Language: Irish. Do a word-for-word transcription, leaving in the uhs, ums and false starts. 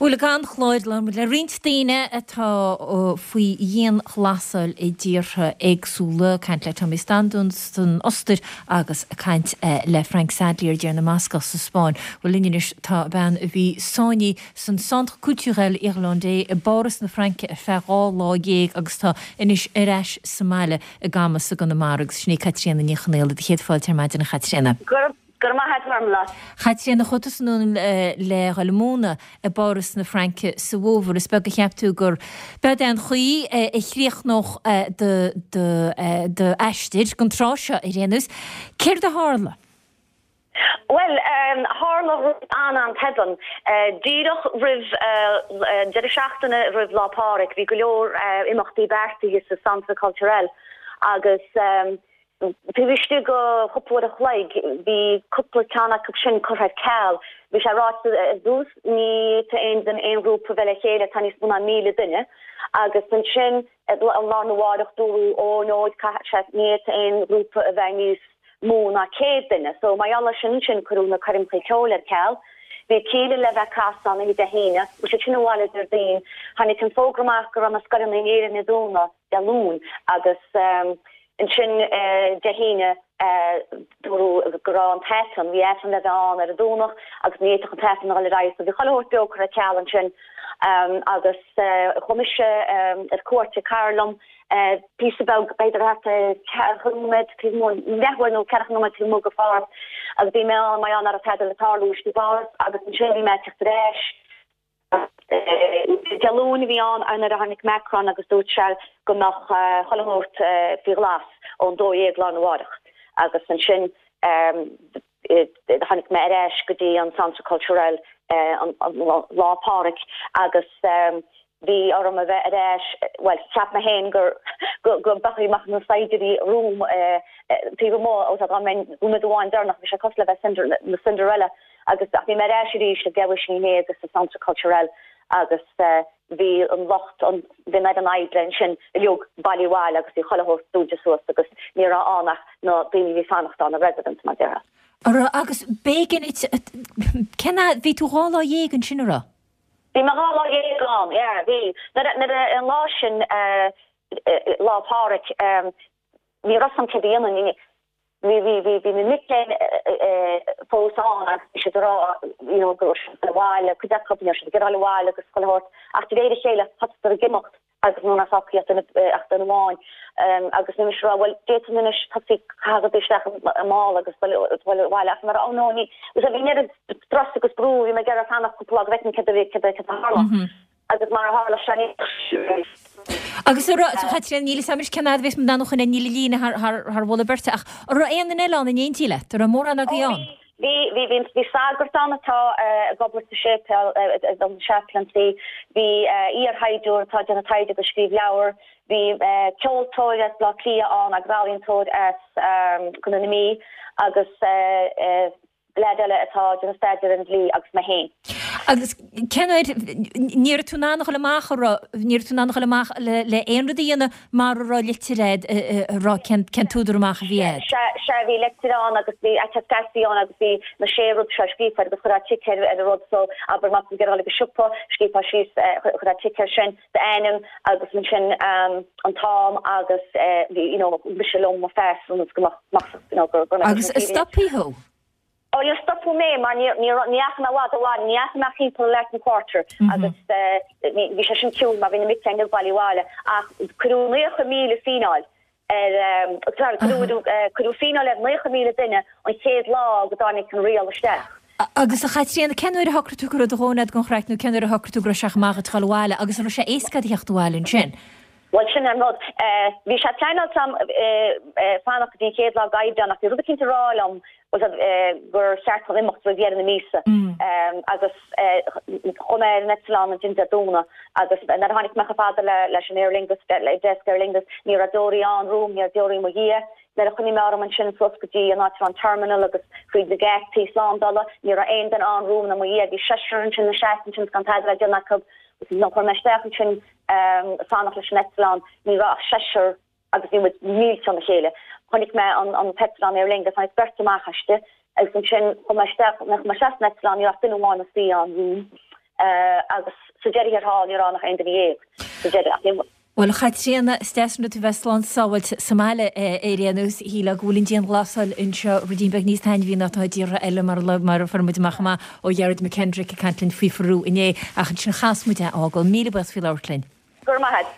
Bhuel ag an chlár le roinnt daoine atá faoi dhianghlasáil i dtíortha éagsúla, caint le Tommy Standún san Ostair agus caint le Frank Sadlier d'Thír na mBascach sa Spáinn. Bhuel linn anois tá bean a bhí sáinnithe san Centre Culturel Irlandais i bPáras na Fraince ar feadh dhá lá dhéag agus tá anois ar ais sa mbaile i gCamus i gConamara agus sin í Caitríona Ní Chonaola do chéad fáilte ar maidin a Chaitríona. Gur maith lá. Chaitríona chuaigh tusa anonn le dhul ag múineadh i bPáras na Fraince sa bhfómhar is beag a cheap tú gur b'é an chaoi a chríochnódh d'aistear don tráth seo ar aon nós. Céard a tharla? Well um, tharla an an tobann uh, díreach roimh uh, deireadh seachtaine roimh Lá Pádraig bhí go leor uh, imeachtaí beartaithe sa Centre Culturel agus um, Bhí go cúpla a chloig bhí cúpla ceann acu sin curtha ar ceal, Bhí sé ráite ar dtús ní aon den aon ghrúpa bheith le chéile tá níos mó ná míle duine agus ansin an lá arna mhárach dúradh ó nó sé ní aon grúpa a bheith níos mó ná céad duine, so mar gheall sin sin cuireadh na coirmeacha ceoil ar ceal. Bhí Kíla le bheith casan i dehéine, u sé sin bháile ar daon, Tháinig an fógra amach go raibh na scoileanna in Éirinn ag dúnadh Dé Luain agus um, ansin uh, Dé hAoine uh, dúradh go raibh an tAifreann, bhí Aifreann le bheith ann ar an Domhnach agus ní fhéadfadh an tAifreann a dhul ar aghaidh, so bhí chuile shórt beo curtha ar ceal ansin um, agus uh, chuaigh mise um, ar cuairt ag cara liom uh, píosa beag b'fhéidir ceathracha nóiméad leathuair nó ceathracha nóiméad taobh amuigh de Pháras agus bhí mé ann mar nach raibh tada le tarlú i bPáras agus ansin bhí mé ag teacht ar ais Dé Luain a bhí ann nuair a tháinig Macron agus dúirt sé go mbeadh chuile shórt faoi ghlas ón dó dhéag lá arna mhárach agus ansin tháinig mé ar ais go dtí an Centre Culturel Lá Pádraig agus bhí orm a bheith ar ais well cheap mé féin gur go go mbeadh na saighdiúirí romham taobh amuigh ó tá mé nóiméad amháin deireanach bhí sé cosúil le bheith na Cinderella agus ach bhí mé ar ais arís ag deich i ndiaidh agus sa Centre Culturel agus bhí an lucht an bhí an oibre ansin uilig bailithe abhaile agus bhí chuile shórt dúnta suas agus ní raibh ann ach na daoine bhí fanacht ann na residents mar déarfá. Ara agus b'éigean cén bhí tú dhá lá dhéag ansin ara? Bhí mé dhá lá dhéag ann yeah bhí nuair an lá sin Lá Pádraig ní raibh an céad bhí bhí bhí bhí na mic léinn fós ann agus siad rá you know go abhaile cuid acu siad ag dul abhaile agus chuile shórt ach de réir a chéile thosaigh ag imeacht agus nó fágadh ach duine amháin agus ní rá well d'fhéadfainn anois tosú ag caitheamh isteach i mála agus dul abhaile ach mar ó nó ní bhí near strus agus brú bhí mé ag iarraidh fanacht cúpla go bhfeicfinn céard a bhí céard a tharla agus mar a tharla sé Agus Chaitríona níl a fhios cén fhad a bheas muid ann níl líne thar mholadh beirte ach an raibh aon duine eile ann in éindí leat, an raibh mórán agaibh ann? Bhí bhí bhí bhí sagart ann atá ag obair sa séipéal an chaplaincy, bhí iarshaighdiúir atá ag déanamh taighde agus scríobh leabhar, bhí ceoltóir as Baile Átha Cliath ann agus ealaíontóir as Contae na Mí agus leaid eile atá ag déanamh staidéar ar an dlí agus mé féin. Agus cén uair ní raibh tú in ann a dhul amach a raibh ní raibh tú in ann a dhul amach le le aon rud a dhéanamh mar a raibh litir agat a raibh cén cén t-údar amach a bhí agat. Sea bhí litir ann agus bhí attestation ann agus bhí na sé rud seo scríofa agus chuirfeá tic ar ar an rud so abair má tá tú ag dul ag an siopa scríofá síos chuirfeá tic air sin d'ainm agus ansin an t-am agus bhí you know mise liom mo phas agus go mbeadh you know gur Agus stopadh thú? Ó níor stopadh mé mar ní ní ní fhaca mé i bhfad abhaile ní fhaca mé timpeall Latin Quarter agus bhí sé sin ciúin mar bhí na mic léinn bailithe abhaile ach cuireadh naocha míle fíneáil ar sorry cuireadh cuireadh fíneáil ar naocha míle duine an chéad lá go dtáinig an riail isteach. Agus a Chaitríona cén uair a shocraigh tú go raibh do dhóthain agat den chraic nó cén uair a shocraigh tú go raibh sé chomh maith duit dul abhaile agus an raibh sé éasca a theacht abhaile ansin? Bhuel sin an rud. Bhí sé pleanáilte agam fanacht go dtí an chéad lá d'Aibreán ach bhí rud eicínt ag rá liom gur cheart dom imeacht roimh dheireadh na míosa agus chuaigh mé ar an eitleán ansin Dé Domhnaigh agus nuair a tháinig mé chomh fada leis an Aer Lingus le desk Aer Lingus ní raibh deoraí ann romham, ní raibh deoraí i mo dhiaidh. Nuair a choinnigh mé orm ansin suas go dtí an áit a raibh an terminal agus fríd na geataí slándála ní raibh aon duine ann romham ná i mo dhiaidh. Bhí seisear ansin ina seasamh ansin gan tada le déanamh acu. Nuair a chuaigh mé isteach ansin fanacht leis an eitleán ní raibh ach seisear agus bhí muid mílte óna chéile. Chonaic mé an an t-eitleán Aer Lingus tháinig beirt amach aisti agus ansin chuaigh mé isteach nuair a chuaigh mé isteach san eitleán ní raibh ach duine amháin ina suí ann romham. Agus sa deireadh thiar thall ní raibh ann ach aon duine dhéag sa deireadh. Bhuel, a Chaitríona, is deas an rud tú bheith slán sábháilte sa mbaile ar aon nós. Shílfeá go bhfuil an dianghlasáil anseo ruidín beag níos taitneamhaí ná atá i dtíortha eile mar mar a fuair muid amach chomh maith ó Ghearóid McKendrick ag caint linn faoi Pheru inné. Ach ansin chas muid é a fhágáil. Míle buíochas faoi labhairt linn. Go raibh maith agat.